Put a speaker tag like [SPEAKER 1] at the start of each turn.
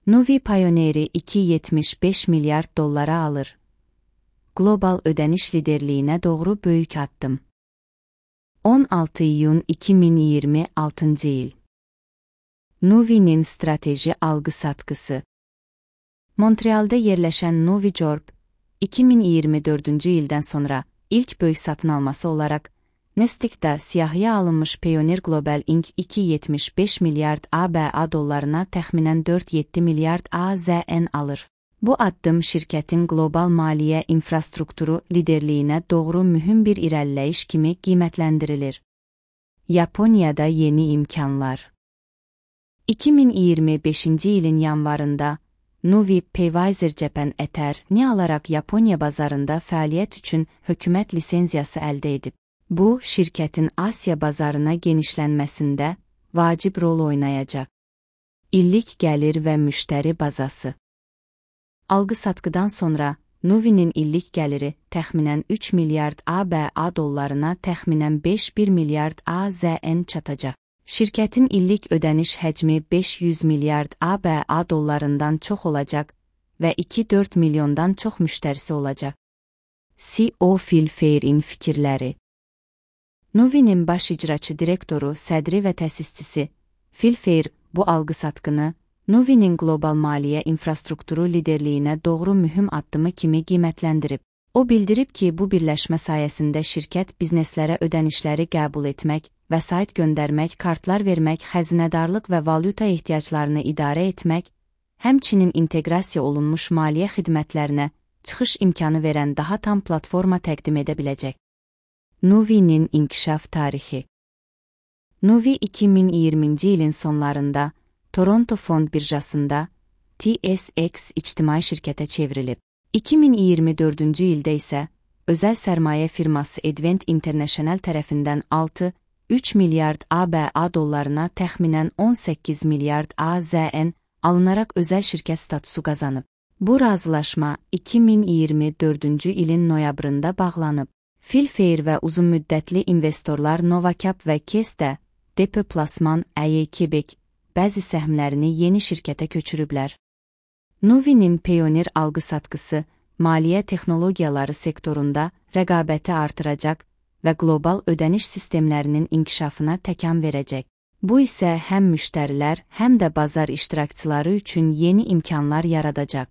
[SPEAKER 1] Nuvi Payoneer'i $2,75 milyard alır. Global ödəniş liderliyinə doğru böyük addım. 16 iyun 2026 il. Nuvi'nin strateji algı-satqısı. Montreal'da yerləşən Nuvi Corp, 2024-cü ildən sonra ilk böyük satın alması olaraq Nasdaq'da siyahıya alınmış Payoneer Global Inc. $2,75 milyard ABA dollarına təxminən 4,7 milyard AZN alır. Bu addım şirkətin qlobal maliyyə infrastrukturu liderliyinə doğru mühüm bir irəliləyiş kimi qiymətləndirilir. Yaponiyada yeni imkanlar. 2025-ci ilin yanvarında Nuvi Paywiser Japan Ether-ni alaraq Yaponiya bazarında fəaliyyət üçün hökumət lisenziyası əldə edib. Bu, şirkətin Asiya bazarına genişlənməsində vacib rol oynayacaq. İllik gəlir və müştəri bazası. Algı-satqıdan sonra Nuvi'nin illik gəliri təxminən 3 milyard ABA dollarına təxminən 5,1 milyard AZN çatacaq. Şirkətin illik ödəniş həcmi 500 milyard ABA dollarından çox olacaq və 2,4 milyondan çox müştərisi olacaq. CEO Phil Fair'in fikirləri. Nuvi'nin baş icraçı direktoru, sədri və təsisçisi Phil Fair bu algı-satqını Nuvi'nin qlobal maliyyə infrastrukturu liderliyinə doğru mühüm addımı kimi qiymətləndirib. O bildirib ki, bu birləşmə sayəsində şirkət bizneslərə ödənişləri qəbul etmək, vəsait göndərmək, kartlar vermək, xəzinədarlıq və valyuta ehtiyaclarını idarə etmək, həmçinin inteqrasiya olunmuş maliyyə xidmətlərinə çıxış imkanı verən daha tam platforma təqdim edə biləcək. Nuvi'nin inkişaf tarixi. Nuvi 2020-ci ilin sonlarında Toronto Fond birjasında TSX ictimai şirkətə çevrilib. 2024-cü ildə isə özəl sərmayə firması Advent International tərəfindən 6,3 milyard ABA dollarına təxminən 18 milyard AZN alınaraq özəl şirkət statusu qazanıb. Bu razılaşma 2024-cü ilin noyabrında bağlanıb. Phil Fair və uzunmüddətli investorlar Novacap və Keste Depoplasman Quebec bəzi səhmlərini yeni şirkətə köçürüblər. Nuvi'nin Payoneer algı-satqısı maliyyə texnologiyaları sektorunda rəqabəti artıracaq və qlobal ödəniş sistemlərinin inkişafına təkan verəcək. Bu isə həm müştərilər, həm də bazar iştirakçıları üçün yeni imkanlar yaradacaq.